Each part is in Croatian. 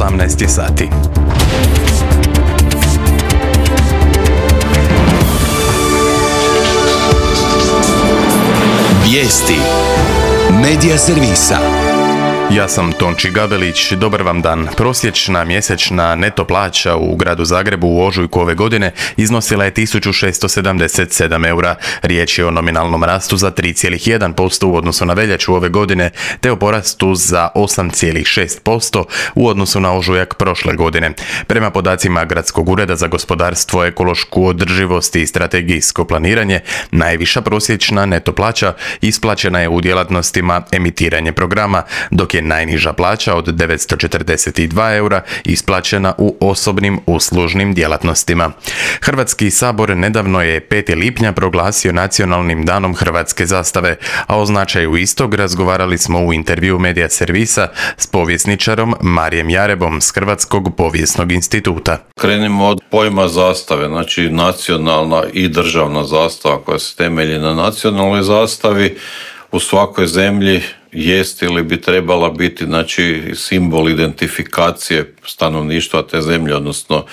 18 sati. Vijesti Medija servisa. Ja sam Tonči Gabelić, dobar vam dan. Prosječna mjesečna neto plaća u gradu Zagrebu u ožujku ove godine iznosila je 1677 eura. Riječ je o nominalnom rastu za 3,1% u odnosu na veljaču ove godine, te o porastu za 8,6% u odnosu na ožujak prošle godine. Prema podacima Gradskog ureda za gospodarstvo, ekološku održivost i strategijsko planiranje, najviša prosječna neto plaća isplaćena je u djelatnostima emitiranje programa, dok je najniža plaća od 942 eura isplaćena u osobnim uslužnim djelatnostima. Hrvatski sabor nedavno je 5. lipnja proglasio nacionalnim danom hrvatske zastave, a o značaju istog razgovarali smo u intervju Medija servisa s povjesničarom Marijem Jarebom s Hrvatskog povijesnog instituta. Krenimo od pojma zastave, znači nacionalna i državna zastava koja se temelji na nacionalnoj zastavi u svakoj zemlji jest ili bi trebala biti, znači, simbol identifikacije stanovništva te zemlje, odnosno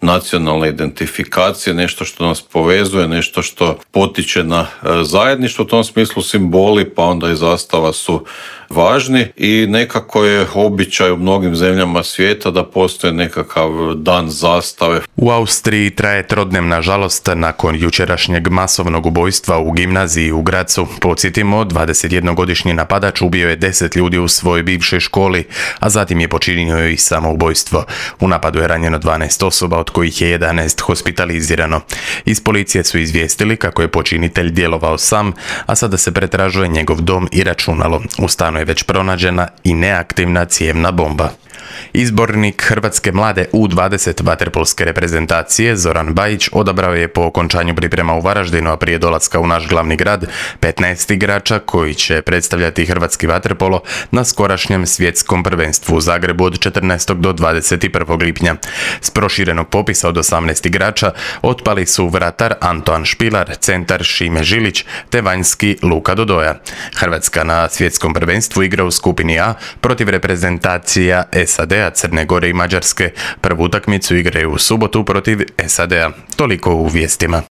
nacionalne identifikacije, nešto što nas povezuje, nešto što potiče na zajedništvo. U tom smislu simboli pa onda i zastava su važni i nekako je običaj u mnogim zemljama svijeta da postoji nekakav dan zastave. U Austriji traje trodnevna žalost nakon jučerašnjeg masovnog ubojstva u gimnaziji u Grazu. Podsjetimo, 21-godišnji napadač ubio je 10 ljudi u svojoj bivšoj školi, a zatim je počinio i samoubojstvo. U napadu je ranjeno 12 osoba, od kojih je 11 hospitalizirano. Iz policije su izvijestili kako je počinitelj djelovao sam, a sada se pretražuje njegov dom i računalo. U stanu je već pronađena i neaktivna cijevna bomba. Izbornik Hrvatske mlade U20 vaterpolske reprezentacije Zoran Bajić odabrao je po okončanju priprema u Varaždinu, a prije dolaska u naš glavni grad, 15 igrača koji će predstavljati hrvatski vaterpolo na skorašnjem svjetskom prvenstvu u Zagrebu od 14. do 21. lipnja. S proširenog popisa od 18 igrača otpali su vratar Antoan Špilar, centar Šime Žilić te vanjski Luka Dodoja. Hrvatska na svjetskom prvenstvu igra u skupini A protiv reprezentacija SAD-a, Crne Gore i Mađarske. Prvu utakmicu igraju u subotu protiv SAD-a. Toliko u vijestima.